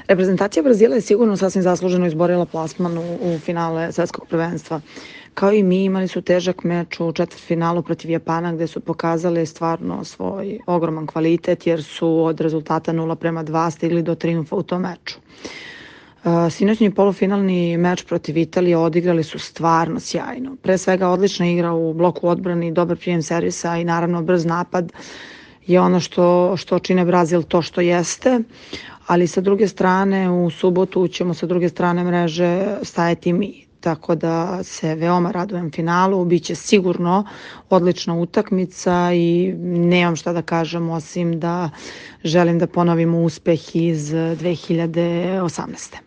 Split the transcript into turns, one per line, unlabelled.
Reprezentacija Brazila je sigurno sasvim zasluženo izborila plasman u finale svetskog prvenstva. Kao i mi, imali su težak meč u četvrtfinalu protiv Japana gde su pokazali stvarno svoj ogroman kvalitet jer su od rezultata 0:2 stigli do triumfa u tom meču. Sinoćni polufinalni meč protiv Italije odigrali su stvarno sjajno. Pre svega odlična igra u bloku odbrani, dobar prijem servisa i naravno brz napad je ono što čine Brazil to što jeste, ali sa druge strane u subotu ćemo sa druge strane mreže stajati mi. Tako da se veoma radujem finalu, biće sigurno odlična utakmica i nemam šta da kažem osim da želim da ponovimo uspeh iz 2018.